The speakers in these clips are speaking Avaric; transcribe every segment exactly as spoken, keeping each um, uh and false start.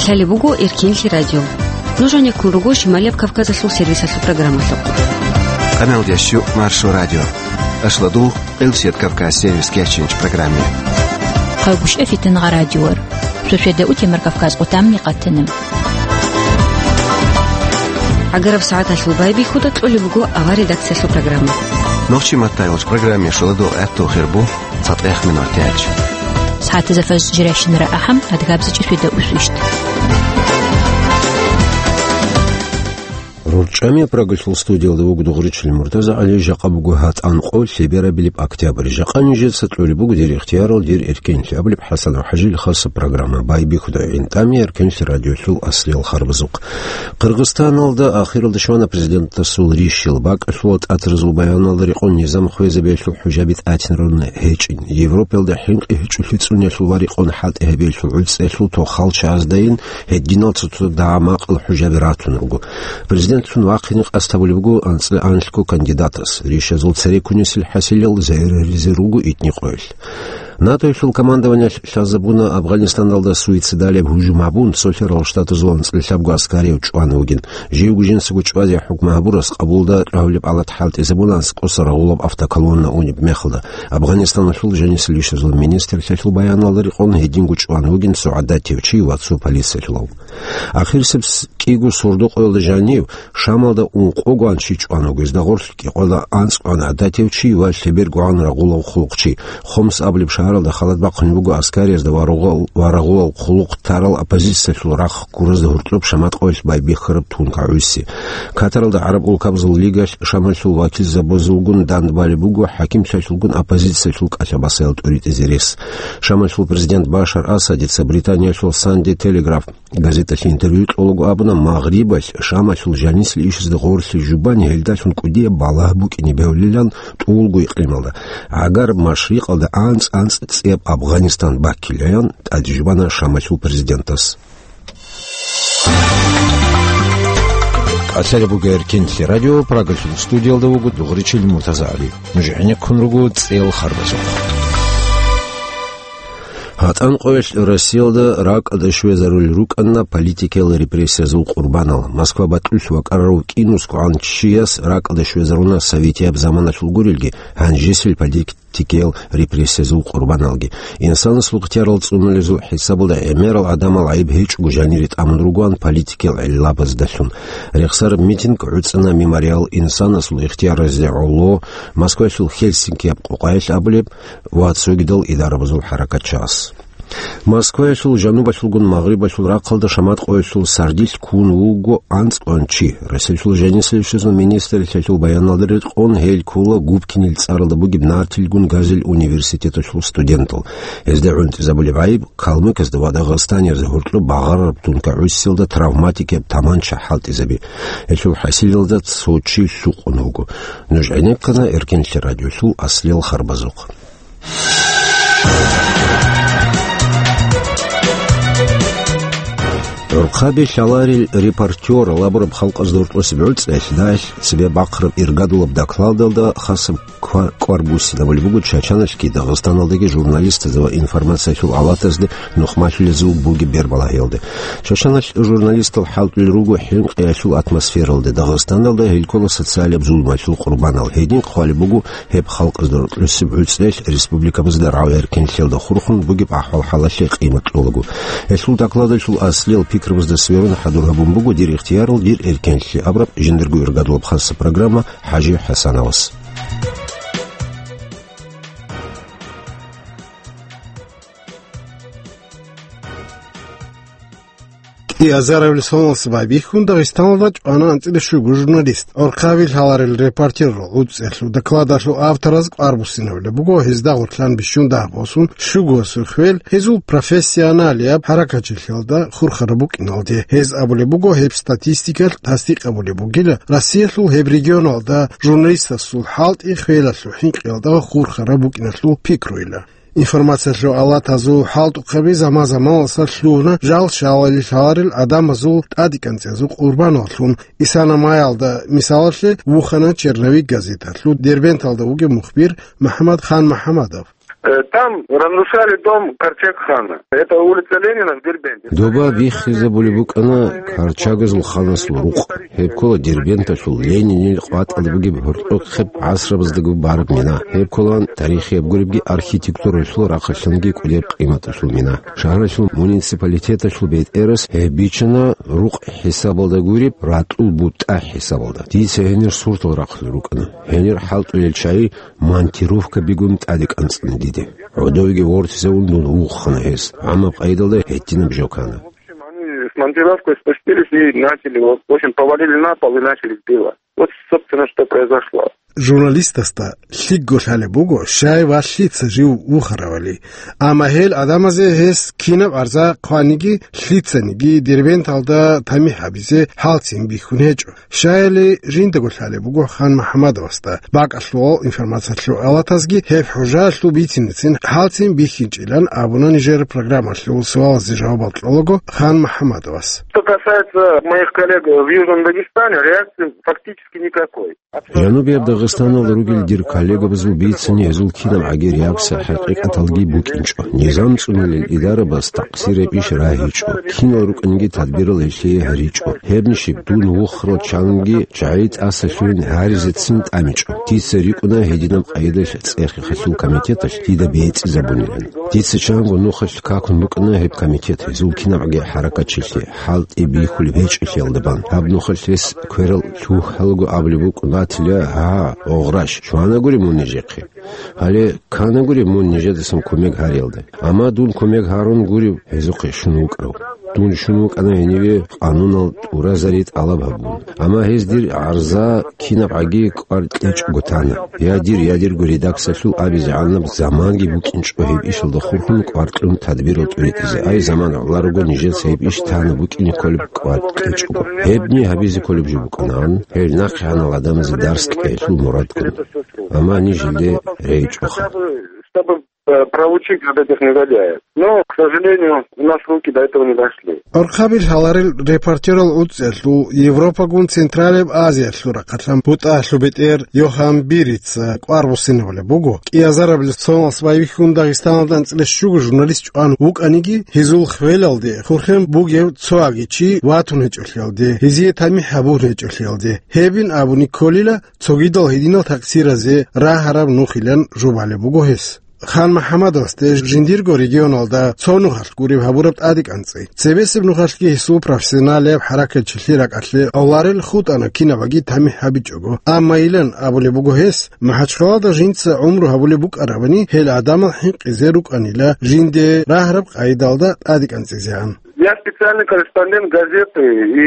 Лъалеб буго Эркенлъи радио. Нуж гьанеккун руго Шималияб Кавказалъул сервисалъул программалъухъ. Къаналдеш щу Маршо радио. Ашладу Элсет Кавказ сервис кечинч программе. Хъагушев Фитнагъа радиор. Суседа утемар Кавказ къутамни къатана. Агараб сагӀаталъул байбихьуда кьолеб буго авар редакциялъул программа. Нохчи маттайолч программе шоладо гӀатту хирбу. ЦатӀех минут тяч. СагӀатазда фаз жиращинара ахӀам, адгабзичӀи светда усвищ. РорчӀами Прагалъул студиялда вуго Дугъричил Муртаза ГӀали, жакъа буго гьатӀан къо, лъеберабилеб октябрь. Жакъа нижеца кьолеб буго дир ихтиярал, дир эркенлъи абулеб ХӀасанов ХӀажил хасаб программа. Байбихьуда гӀинтӀами Эркенлъи радиолъул аслиял харбазухъ. Къиргъизстаналда ахиралда щвана президентасул рищил. БакӀалъула тӀатразул баяналда рекъон низам хвезабиялъул хӀужаби тӀатинарун гьечӀин. Европалда хӀинкъи гьечӀолъи цӀуниялъул ва рекъон хӀалтӀи гьабиялъул гӀуцӀиялъул тохал чагӀаздайин гьединал цо-цо дагӀа-макъал хӀужаби ратун руго. Президентлъун вахъине къасд гьабулеб буго анцӀила анлъго кандидатас. Рищазул цере ккунисел хӀасилел зереризе руго итни къоялъ. НАТОялъул командованиялъ лъазабуна Афганистаналда суицидалияб гьужум гьабун, Цолъарал Штатазул анцӀила лъабго аскарияв чӀван вугин. Живго жинцаго чӀвазе хӀукму гьабурас Къабулда тӀагьулеб палат хӀалтӀизабуна аскӀоса рагъулаб автоколонна унеб мехалда. Афганистаналъул жанисел ишазул министрлъиялъул баяналда рекъон гьединго чӀван вугин цо гӀадатив чи ва цо полициялъулав. Ахирисеб с-, кӀиго сордо-къоялда жанив Шамалда ункъогоан чи чӀван вуго, гьезда гъорлъ кӀикъоялда анцӀгоан гӀадатив чи ва лъебергогӀан рагъулав хъулухъчи. Хомс абулеб шагьаралда халат бахъун буго аскариязда ва рогъал-, ва рагъулав хъулухъ тарал оппозициялъул рахъ гуразда гьоркьоб шамат къоялъ байбихьараб тункагӀуси. Катаралда ГӀараб улкабазул лигалъ Шамалъул вакилзабазулгун дандбалеб буго хӀакимлъиялъулгун оппозициялъул кӀалъа-басаял тӀуритӀизе рес. Шамалъул президент Башар Асадица Британиялъул Санде Телеграф газеталъе интервью кьолаго абуна, Магърибалъ Шамалъул жанисел ишазда гъорлъи жубани гьелдалъун кӀудияб балагь букӀине бегьулилан тӀулго икълималда, гӀагар машрикъалда анцӀ-анцӀ цӀияб Афганистан баккилаян тӀадежубана Шамалъул президентас. КӀалъалеб буго Эркенлъи радио, Прагалъул студиялда вуго Дугъричил Муртаза ГӀали. Нуж гӀенеккун руго цӀел харбазухъ. ГьатӀан къоялъ Россиялда ракӀалда щвезарулел рукӀана политикиял репрессиязул къурбанал. Москва бакьулъ вакӀарав кӀинусгоан чияс ракӀалда щвезаруна советияб заманалъул гурелги, гьанжесил политикиял репрессиязул къурбаналги. Инсанасул ихтиярал цӀунулезул хӀисабалда гӀемерал гӀадамал гӀайиб гьечӀого жанире тӀамун ругоан политикиял гӀиллабаздалъун. Рехсараб митинг гӀуцӀана Мемориал инсанасул ихтияразде гӀоло, Москваялъул Хельсинкияб къокъаялъ абулеб, ва цогидал идарабазул хӀаракатчияс. Москваялъул жанубалъулгун магърибалъул рахъалда шамат къоялъул сардилъ ккун вуго анцӀгоан чи. Россиялъул жанисел ишазул министрлъиялъул баяналда рекъон гьел ккола Губкинил цӀаралда бугеб Нартилгун газил университеталъул студентал. Гьезда гӀунтӀизабулеб гӀайиб калмыказда ва дагъастаниязда гьоркьоб багъарараб тункагӀусиялда травматикияб таманча хӀалтӀизаби. Гьелъул хӀасилалда цо чи лъукъун вуго. Нуж гӀенеккана Эркенлъи радиолъул аслиял харбазухъ. ГӀурхъаби лъаларел репортёр лабураб халкъазда гьоркьосеб гӀуцӀиялъ дагьалъ цебе бахъараб иргадулаб докладалда хасаб ква-, кӀвар буссинабулеб буго Чачаналъги Дагъистаналдаги журналистазда ва информациялъул алатазде нухмалъулезул бугеб бербалагьиялде. Чачаналъ журналистал хӀалтӀулел руго хӀинкъиялъул атмосфералде, Дагъистаналда гьел ккола социалияб зулмалъул къурбанал. Гьедин хъвалеб буго гьеб халкъазда гьоркьосеб гӀуцӀиялъ республикабазда рагӀу-эркенлъиялда хурхун бугеб ахӀвал-хӀалалъе къимат кьолаго. Гьелъул докладалъул аслиял пикрабазда сверун хӀадур гьабун буго «Дир ихтиярал, дир эркенлъи» абураб жиндирго иргадулаб хасаб программа ХӀажи ХӀасановас. Азаров Лисоналъ байбихьун Дагъистаналда чӀвана анцӀила щуго журналист. ГӀурхъаби лъаларел репортёрал гӀуцӀиялъул докладалъул автораз кӀвар буссинабулеб буго гьезда гъорлъан бищун дагь босун щуго сухвел гьезул профессионалияб хӀаракатчилъиялда хурхараб букӀиналде. Гьез абулеб буго, гьеб статистикалъ тасдикъ гьабулеб бугила Россиялъул гьеб регионалда журналистасул хӀалтӀи хвелалъул хӀинкъиялда хурхараб букӀиналъул пикруйила. Информациялъул алатазул хӀалтӀухъаби заман-заманалъ лъугьуна жал-шалали лъаларел гӀадамазул тӀадекӀанцӀиязул къурбаналлъун. Исана-майалда, мисалалъе, вухана «Черновик» газеталъул Дербенталда вугев мухбир МухӀаммад Хан МухӀаммадов. Э, там разрушали дом Корчак-хана. Это улица Ленина в Дербенте. Доба биххизабулеб букӀана Карчагазул ханасул рукъ. Гьеб ккола Дербенталъул Ленинил къватӀалда бугеб гьоркьохъеб гӀасрабаздаго бараб мина. Гьеб кколаан тарихияб гуребги архитектуралъул рахъалъанги кӀудеб къиматалъул мина. Шагьаралъул муниципалитеталъул бетӀерас гьеб бичӀчӀана рукъ хӀисабалда гуреб, ратӀул бутӀа хӀисабалда. Дица гьенир суртал рахъулел рукӀана. Гьенир хӀалтӀулел чагӀи монтировкабигун тӀаде кӀанцӀана диде. ГӀодовеги вортизавун дун вухана гьез. ГӀамаб къайдалда гьединаб жо ккана. В общем, они с монтировкой спустились и начали, вот, в общем, повалили на пол и начали сбивать. Вот, собственно, что произошло. Журналистасда лъикӀго лъалеб буго, щай ва лъица жив вухаравали. Амма гьел гӀадамазе гьес кинаб гӀарза хъваниги, лъицаниги Дербенталда тамихӀ гьабизе хӀалцин бихьун гьечӀо. Щаяли жиндаго лъалеб буго Хан МухӀаммадовасда. БакӀалъувал информациялъул алатазги гьеб хӀужаялъул бицинецин хӀалцин бихьинчӀилан абуна нижер программалъул суалазе жавабал кьолаго Хан МухӀаммадовас. Что касается моих коллег в Южном Дагестане, реакции фактически никакой. Жанубияб Дагъистаналда ругел дир коллегабазул бицани гьезул кинаб гӀаги реакция хӀакъикъаталги букӀинчӀо. Низам цӀунулел идарабаз такъсираб иш рагьичӀо. Кинал рукӀанги тадбирал гьелъие гьаричӀо. Гьебнищиб дун вухарал чанги чагӀи тӀаса лъугьин гьаризецин тӀамичӀо. Дица рикӀкӀуна гьединаб къайдалъ цӀехихъалъул комитеталъ дида бецӀизабунилан. Дица чанго нухалъ какун букӀана гьеб комитет, гьезул кинабгӀаги хӀаракатчилъи, хӀалтӀи бихьулеб гьечӀелъиялда бан. Гьаб нухалъ гьес кверал лъугьалаго абулеб букӀун батила, гьа, огъраш, чванагури мун нижехъе. Гьале кканагури мун нижедасан кумек гьариялда. Амма дун кумек гьарун гурев гьезухъе щун вукӀарав. Дун щун вукӀана гьениве къанунал тӀуразари тӀалаб гьабун. Амма гьез дир гӀарза кинабгӀаги кӀвар кьечӀого тана. Я дир, я дирго редакциялъул абизегӀанаб заманги букӀинчӀо гьеб ишалда хурхун кӀвар кьун тадбирал тӀуритӀизе. Ай, заман гӀоларого нижеца гьеб иш тана букӀине кколеб кӀвар кьечӀого. Гьебни гьабизе кколеб жо букӀанаан, гьел нахъегӀанал гӀадамазе дарс кьеялъул мурадгун. Амма ниж гьелде рейчӀоха. Чтобы, э, проучить вот этих негодяев. Но, к сожалению, у нас руки до этого не дошли. Орхъабил гьаларел репортерал уцӀиялъул Европагун Централияб Азиялъул рахъалъан бутӀалъуб бетӀер Йохан Бирица кӀвар буссинабулеб буго, кӀиазарабилеб соналъ байбихьун Дагъистаналда анцӀила щуго журналист чӀван вукӀаниги, гьезул хвелалде хурхен бугев цоги чи ватун гьечӀолъиялде, гьезие тамихӀ гьабун гьечӀолъиялде. Гьебин абуни кколила, цогидал гьединал такъсиразе рагьараб нухилан жубалеб буго гьес. Хан МухӀаммадовасде жиндирго регионалда цо нухалъ гуреб гьабураб тӀаде кӀанцӀи. Цебесеб нухалъги гьесул профессионалияб хӀаракатчилъи ракӀалъе авларел хутӀана кинабаги тамихӀ гьабичӀого. Амма илан абулеб буго гьес, МахӀачхъалада жинца гӀумру гьабулеб букӀарабани, гьел гӀадамал хӀинкъизе рукӀанила жинде рагьараб къайдалда тӀаде кӀанцӀизегӀан. Я специальный корреспондент газеты и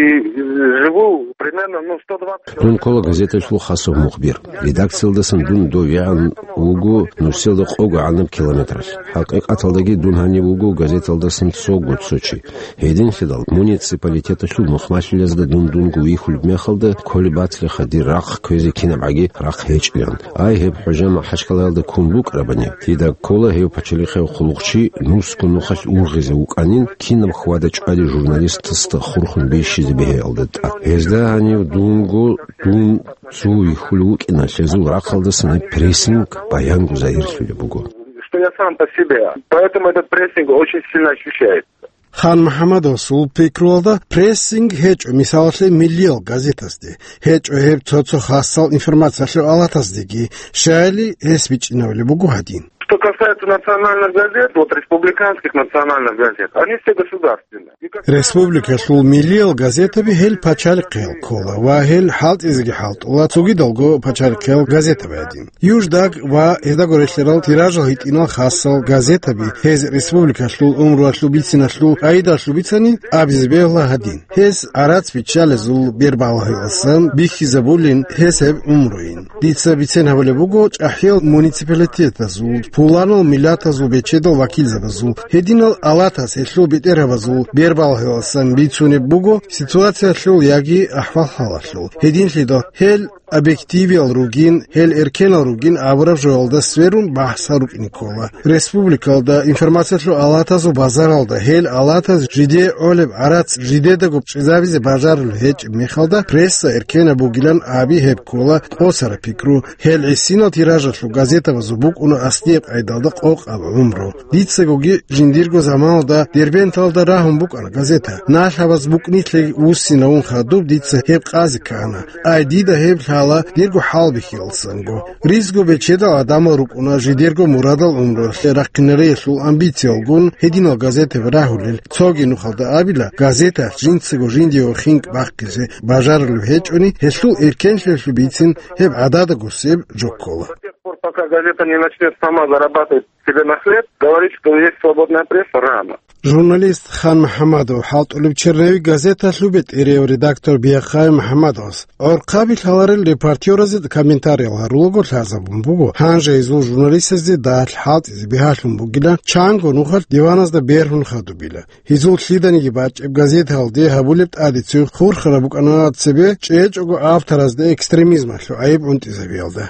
живу примерно, ну, сто двадцать Дун ккола газеталъул хасаб мухбир. Редакциялдасан дун довегӀан вуго нурсиялда къого гӀанаб километралъ. ХӀакъикъаталдаги дун гьанив вуго газеталдасан цого цо чи. Гьединлъидал муниципалитеталъул мухмалъулезда дун дунго вихьулеб мехалда кколеб батилаха дир рахъ кквезе кинабгӀаги рахъ гьечӀилан. Ай, гьеб хӀужа МахӀачхъалаялда ккун букӀарабани, дида ккола гьев пачалихъев хъулухъчи нусго нухалъ ургъизе вукӀанин, кинаб хьвада-чӀвади журналистасда хурхун бищизе бегьиялда тӀад. Гьезда гьанив дунго дун цо вихьулев вукӀиналъ гьезул рахъалдасан гьеб прессинг баянго загьирлъулеб буго. Что я сам по себе. Поэтому этот прессинг очень сильно ощущается. Хан МухӀаммадовасул пикруялда прессинг гьечӀо, мисалалъе, миллиял газетазде, гьечӀо гьеб цо-цо хасал информациялъул алатаздеги, щаяли гьес бичӀчӀинабулеб буго гьадин. Что касается национальных газет, вот республиканских национальных газет, они все государственные. Республикалъул миллиял газетаби гьел пачалихъел ккола ва гьел хӀалтӀизеги хӀалтӀула цогидалго пачалихъел газетаби гьадин. Юждаг ва гьездаго релълъарал тиражал гьитӀинал хасал газетаби гьез республикалъул умруялъул бициналъул къайдалъул бицани абизе бегьла гьадин. Гьез гӀарац биччалезул бербалагьиласан бихьизабулин гьес гьеб умруйин. Дица бицен гьабулеб буго чӀахӀиял муниципалитетазул, пуланал миллатазул бечедал вакилзабазул, гьединал алатас гьелъул бетӀергьабазул бербалагьиласан бицунеб буго ситуациялъул яги ахӀвал-хӀалалъул. Гьединлъидал гьел Объективиял ругин, гьел эркенал ругин абураб жоялда сверун бахӀсал рукӀине ккола. Республикалда информациялъул алатазул базаралда гьел алатаз жидее гӀолеб гӀарац жидедаго чӀезабизе бажарулеб гьечӀеб мехалда, пресса эркенаб бугилан аби гьеб ккола къосараб пикру. Гьел гӀисинал тиражалъул газетабазул букӀуна аслияб къайдалда къокъаб гӀумру. Дицагоги жиндирго заманалда Дербенталда рагьун букӀана газета. Налъабаз букӀнилъеги вуссинавун хадуб дица гьеб къазе ккана. Ай, дида гьеб лъала дирго хӀалбихьиялдасанго. Ризго бечедал гӀадамал рукӀуна жидерго мурадал гӀумруялъе рахъинариялъул амбициялгун гьединал газетаби рагьулел. Цоги нухалда абила, газеталъ жинцаго жиндиего хинкӀ бахъизе бажарулеб гьечӀони, гьелъул эркенлъиялъул бицин гьеб гӀададаго себ жо ккола. До тех пор, пока газета не начнёт сама зарабатывать себе на хлеб, говорить, что есть свободная пресса, рано. Журналист Хан МухӀамадов хӀалтӀулеб Чернавик газеталъул бетӀерияв редактор Бияхъай МухӀамадовас гӀорхъаби лъаларел репортёразе комментариял гьарулаго лъазабун буго, гьанже гьезул журналистазде далъ хӀалтӀизе бигьалъун бугила, чанго нухалъ диваназда бергьун хадубила. Гьезул лъиданиги бачӀеб газеталде гьабулеб тӀадеццин хурхараб букӀана цебе чӀечӀого авторазда экстремизмалъул гӀайиб гӀунтӀизабиялда.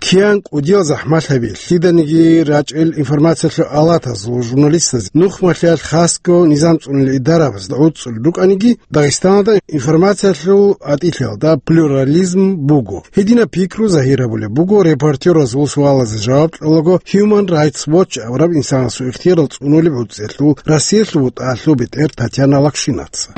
Киян кӀудиял захӀмалъаби, лъиданиги рачӀел информациялъул алатазул журналистаз нухмалъиялъ хасго низам цӀунел идарабазда гӀуцӀцӀулел рукӀаниги, Дагъистаналда информациялъул атӀилъиялда плюрализм буго. Гьединаб пикру загьир гьабулеб буго репортёразул суалазе жаваб кьолаго Human Rights Watch абураб инсанасул ихтиярал цӀунулеб гӀуцӀиялъул Россиялъул ВутӀалъул бетӀер Татьяна Лакшинаца.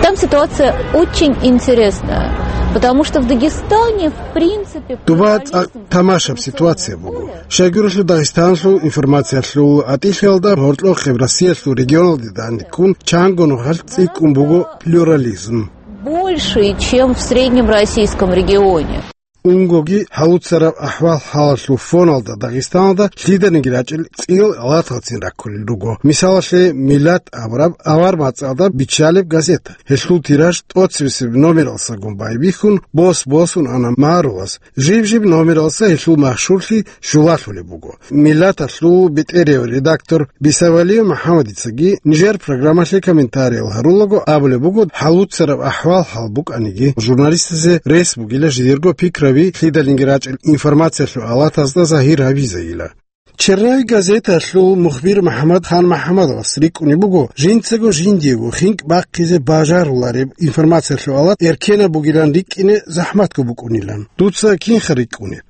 Там ситуация очень интересная, потому что в Дагестане, в принципе, Дуба цӀакъ тамашаб ситуация буго. Щайгурелъул Дагъистанлъул информациялъул атӀилъиялда гьоркьохъеб Россиялъул регионалде данде ккун чанго нухалъ цӀикӀкӀун буго плюрализм. Больше, чем в среднем российском регионе. Унгоги гьалуцараб ахӀвал-хӀалалъул фоналда Дагъистаналда лъиданиги рачӀел цӀиял алаталцин раккулел руго. Мисалалъе, Миллат абураб авар мацӀалда биччалеб газета. Гьелъул тираж тӀоцебесеб номералсагун байбихьун, бос-босун ана марулас. Жиб-жиб номералса гьелъул машгьурлъи щулалъулеб буго. Миллаталъул бетӀерияв редактор Бисавалиев МухӀаммадицаги нижер программалъе комментариял гьарулаго абулеб буго, гьалуцараб ахӀвал-хӀал букӀаниги, журналистазе рес бугила жидерго пикраби лъиданиги рачӀел информациялъул алатазда загьир гьабизайила. Чернавик газеталъул мухбир МухӀаммад Хан МухӀаммадовас рикӀкӀунеб буго, жинцаго жиндиего хинкӀ бахъизе бажарулареб информациялъул алат эркенаб бугилан рикӀкӀине захӀматго букӀунилан. Дуца кинха рикӀкӀунеб?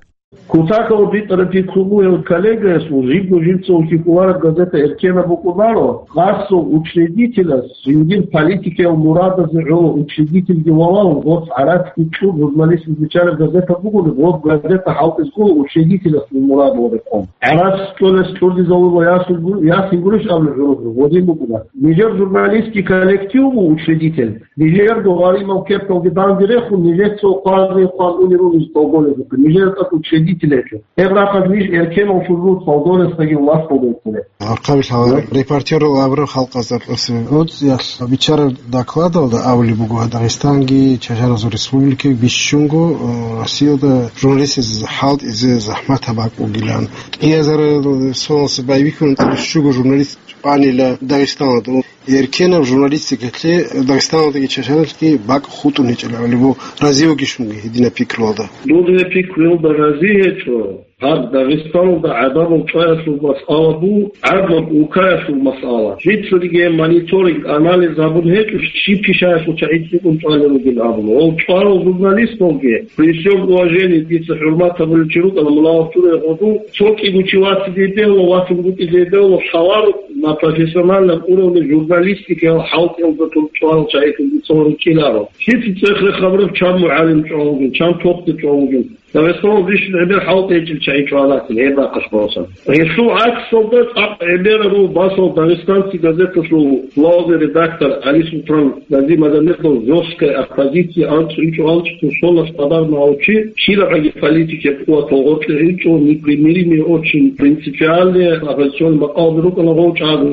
Кутакал битӀараб пикру бугев коллегаясул жибго жинцаго кколареб газета эркенаб букӀунаро, къасул учредителас жиндир политикиял мурадазе гӀоло учредительги валав, гъоц гӀарацги кьун журналистизе биччараб газета бугони, гъоб газета хӀалтӀизго учредителасул мурад ва рекъон. ГӀарац кьолес кьурдизавула ясин гу-, ясин гурищ абулеб гӀурухъ гъодин букӀуна. Нижер журналистский коллектив буго учредитель. Нижерго гъаримал кепкалги данде рехун, нижеца къварни къван уни рунизе толгонезухъе. Нижер тӀад учредитель гьечӀо. Гьеб рахъалъ ниж эркенал шурру толгонесдаги власталда вуссине. Архъабилъала репортерал абураб халкъазда кьурсине. ГӀуцӀиялъ биччараб докладалда абулеб буго, Дагъистанги Чачарасул республикаги бищунго, э, Россиялда журналистазе хӀалтӀизе захӀмат гьаб бакӀ бугилан. КӀиазарал соналъ байбихьун щуго журналист къванила Дагъистаналда. Эркенаб журналистикалъе Дагъистаналдаги Чачаралъги бакӀ хутӀун гьечӀила гьалибу разиугищунги гьединаб пикруялда. Дуда гьеб пикруялда рази гьечӀо. Гьаб Дагъистаналда гӀадамал чӀваялъул масъала бу, гӀадлаб улкаялъул масъала. Жицариги мониторинг, анализ гьабун гьечӀо, щиб пишаялъул чагӀи цӀикӀкӀун чӀвалел ругел абун. Гьол чӀварал журналисталги, при всём уважении, дица хӀурмат гьабулев чи рукӀана, мунагьал турай гъодул, цо кӀиго чи вацидей бегьула, вацун букӀидей бегьула, хабар на профессиональном уровне журналистикаял хӀалтӀиялда тун чӀварал чагӀи тун дица гьоркьиларо. Лъица цӀех рехабураб чан мугӀалим чӀван вугин, чан тохтир чӀван вугин. Дагъистаналда иш гӀемер хӀалтӀи гьечӀел чагӀи чӀвалатин, гьеб бахъалъ босун. Гьелъул гӀаксалда цӀакъ гӀемераб буго басал «Дагъистанцы» газеталъул главный редактор ГӀалисултӀан Газимагомедов жёсткая оппозиция анцӀ инчӀо анцӀго соналъ къадарнавав чи, щибабгӀаги политикияб къуватал гъоркье инчӀо, непримиримый, очень принципиальный, оппозиционный макъалаби рукӀана гъов чӀаго,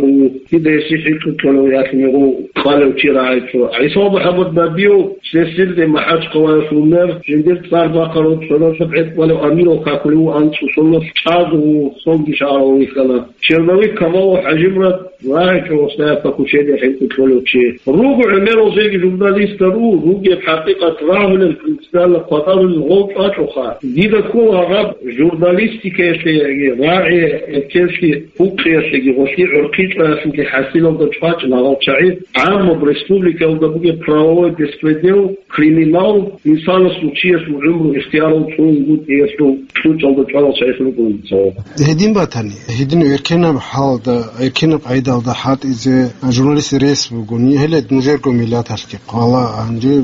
дида гьесие хӀинкъи кьолев ялъун гъов кьалев чи рагӀичӀо. ГӀиса МухӀаммад Набиев, Сесилде МахӀачхъалаялъул мэр, жиндир цӀар бахъарав Гьалаб гӀетӀ балев амирал какулев вуго анцӀу сонналъ чӀаго, цоги шагьаралда вихьана. Черновик Камалов ХӀажимурад рагӀичӀо гъосда япа кучеде хӀинкъи кьолев чи. Руго гӀемерал жеги журналистал ру, ругеб хӀакъикъат рагьулел, принципиально хватӀарулел гъов чӀвачӀоха. Дида ккола гьаб журналистикаялъе яги рагӀи эркенлъи гьукъиялъеги гъолъие гӀурхъи чӀваялъулги хӀасилалда чӀвачӀ лагъал чагӀи гӀаммаб республикаялда бугеб правовой беспредел, криминал, инсанасул чиясул гӀумру ихтиярал цӀунгутӀиялъул кьучӀалда чӀвалал чагӀилъун рукӀун цо. Гьедин батани, гьедин эркенаб хӀалда, эркенаб къайдалда хӀалтӀизе журналист рес бугони, гьеле нужерго миллаталъги къвала, гьанже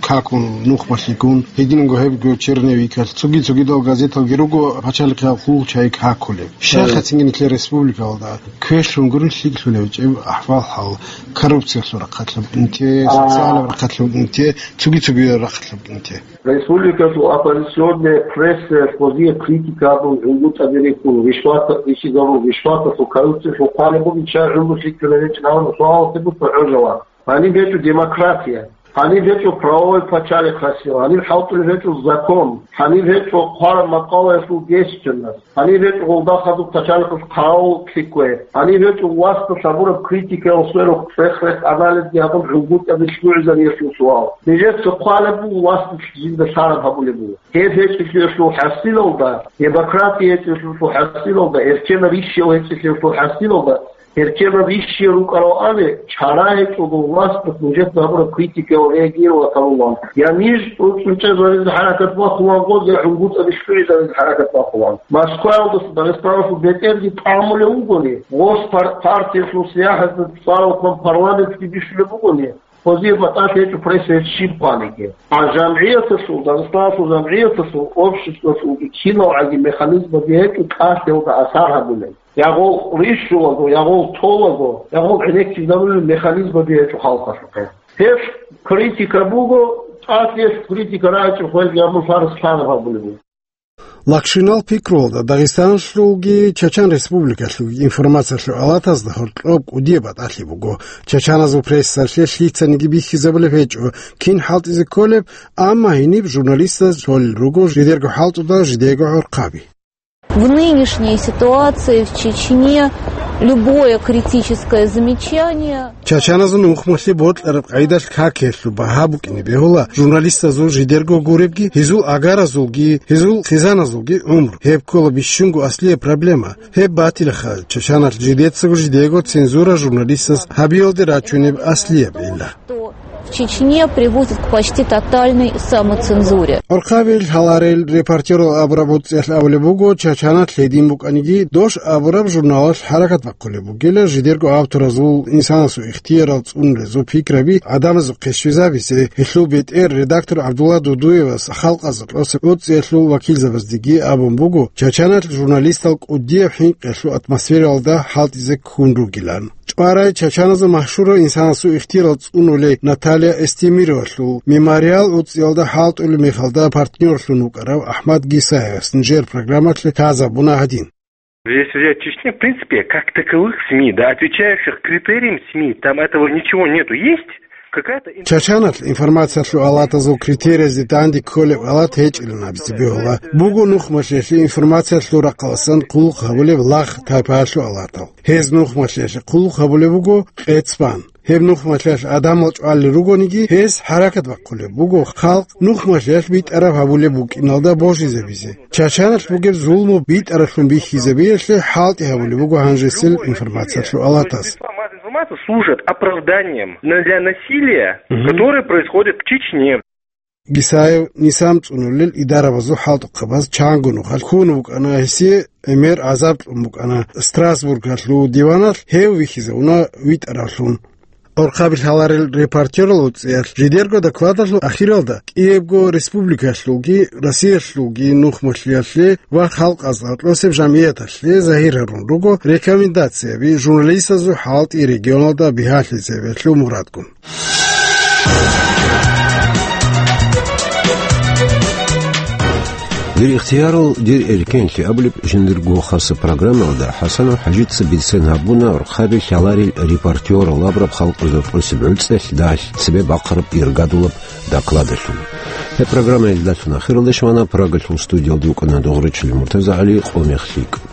какун, нухмалъигун, гьединго гьебго черновикалъ, цоги-цогидал газеталги руго пачалихъал хъул чайи какулеб. Щай, гье, хъацинги нилъер республикалда квешлъун гурин лъикӀлъулев чӀеб ахӀвал-хӀал, коррупциялъул рахъалъуб инте, а, социалаб рахъалъуб инте, цоги-цоги рахъалъуб инте. Республикалъул оппозиционная пресса гъозие критика гьабун, гӀунгутӀаби рихьун, ришват рихьизарун, ришваталъул, коррупциялъул хъвалеб бугин чай гӀумру лъикӀлъунеб гьечӀин абун суалалъе буго гӀожала. Гьаниб гьечӀо демократия, гьаниб гьечӀо правовой пачалихъ хасил, гьаниб хӀалтӀулеб гьечӀо закон, гьаниб гьечӀо хъвараб макъалаялъул гьечӀеб чанас, гьаниб гьечӀо гъолда хадуб пачалихъалъ хъавул лъикӀкӀве, гьаниб гьечӀо власталъ гьабураб критикаялъ сверухъ цӀех-рех анализги гьабун гӀунгутӀаби лъугӀизариялъул суал. Нижеца хъвалеб буго власталъ жинда лъараб гьабулеб буго. Гьеб гьечӀелъулъул хӀасилалда, демократия гьечӀелъулъул хӀасилалда, эркенаб ишиял гьечӀелъулъул хӀасилалда, эркенаб ишиял рукӀарал ани, чара гьечӀого власталъ нужеца гьабураб критикаялъ реагировать гьабулан. Я ниж цӀу-, цӀунчӀезаризе хӀаракат бахъулан гъоз, я гӀунгутӀаби лъугӀизаризе хӀаракат бахъулан. Москваялдаса Дагъистаналъул бетӀерги тӀамулев вугони, гъос пар-, партиялъул сияхӀаталда цӀарал ккун парламентги бищулеб бугони, гъозие батӀалъи гьечӀо пресса гьеб щиб хъвалиги. А жамгӀияталъул, Дагъистаналъул жамгӀияталъул, обществалъулги киналгӀаги механизмаби гьечӀо кӀалъиялда асар гьабулел. Ягъул рищулаго, ягъул толаго, ягъул гӀенеккизабулел механизмаби гьечӀо халкъалъухъе. Гьеб критика буго, тӀад гьелъ критика рагӀичӀеб хвелги гьабун фарз лъазаб гьабулеб буго. Лакшинал пикруялда Дагъистаналъулги Чачан Республикалъулги информациялъул алатазда гьоркьоб кӀудияб батӀалъи буго. Чачаназул прессалъе лъицаниги бихьизабулеб гьечӀо, кин хӀалтӀизе кколеб, амма гьениб журналистаз толел руго жидерго хӀалтӀуда жидего гӀорхъаби. В нынешней ситуации в Чечне любое критическое замечание. Чачаназул нухмалъе бокьараб къайдалъ какиялъул багьа букӀине бегьула журналистазул жидерго гуребги, гьезул агаразулги, гьезул хъизаназулги гӀумру. Гьеб ккола бищунго аслияб проблема. Гьеб батилаха, Чачаналъ жидецаго жидего цензура журналистаз гьабиялде рачунеб аслияб гӀилла. Что в Чечне приводит к почти тотальной самоцензуре. Орхъабил гьаларел репортерал абураб гӀуцӀиялъ абулеб буго, Чачаналъ гьедин букӀаниги, Дош абураб журналалъ хӀаракат бахъулеб бугила, жидерго авторазул, инсанасул ихтиярал цӀунулезул пикраби гӀадамазухъе щвезабизе. Гьелъул бетӀер редактор ГӀабдулла Дудуевас халкъазда кьосеб гӀуцӀиялъул вакилзабаздеги абун буго, Чачаналъ журналистал кӀудияб хӀинкъиялъул атмосфералда хӀалтӀизе ккун ругилан. ЧӀварай чачаназул машгьурав инсанасул ихтиярал цӀунулей Наталья Эстемировалъул мемориал гӀуцӀиялда хӀалтӀулеб мехалда партнёрлъун вукӀарав АхӀмад Гисаевас нижер программалъе лъазабуна гьадин. Если взять Чечню, в принципе, как таковых СМИ, да, отвечающих критериям СМИ, там этого ничего нету. Есть какая-то ин- Чачаналъ информациялъул алатазул критериязде данде кколеб алат гьечӀилан абизе бегьула. Буго нухмалъиялъе информациялъул рахъаласан хъулухъ гьабулеб лагъ тайпаялъул алатал. Гьез нухмалъиялъе хъулухъ гьабулеб буго къецбан. Гьеб нухмалъиялъ гӀадамал чӀвалел ругониги, гьез хӀаракат бахъулеб буго халкъ нухмалъиялъ битӀараб гьабулеб букӀиналда божизабизе. Чачаналъ бугеб зулму битӀаралъун бихьизабиялъе хӀалтӀи гьабулеб буго гьанжесел информациялъул алатас. Информация служит оправданием на-, для насилия, мгм, которое происходит в Чечне. Гисаев низам цӀунулел идарабазул хӀалтӀухъабаз чанго нухалъ ккун вукӀана, гьесие гӀемер гӀазаб кьун букӀана. Страсбургалъул диваналъ гьев вихьизавуна витӀаравлъун. Орхъабил гьаларел репортерал гӀуцӀиялъ жидерго докладалъул ахиралда кӀиябго республикалъулги Россиялъулги нухмалъиялъе ва халкъазда кьосеб жамгӀияталъе загьир гьарун руго рекомендацияби журналистазул хӀалтӀи регионалда бигьалъизабиялъул мурадгун. Дир ихтиярал, дир эркенлъи абулеб жиндирго хасаб программаялда ХӀасанов ХӀажица бицен гьабуна рухъаби лъаларел репортерал абураб халкъалда тӀосеб гӀуцӀелъ далъ цебе бахъараб иргадулаб докладалъул. Гьеб программа илдалъун ахиралде щвана, Прагалъул студиялда вукӀана Догърачилев МуртазагӀали, къо мех лъикӀ.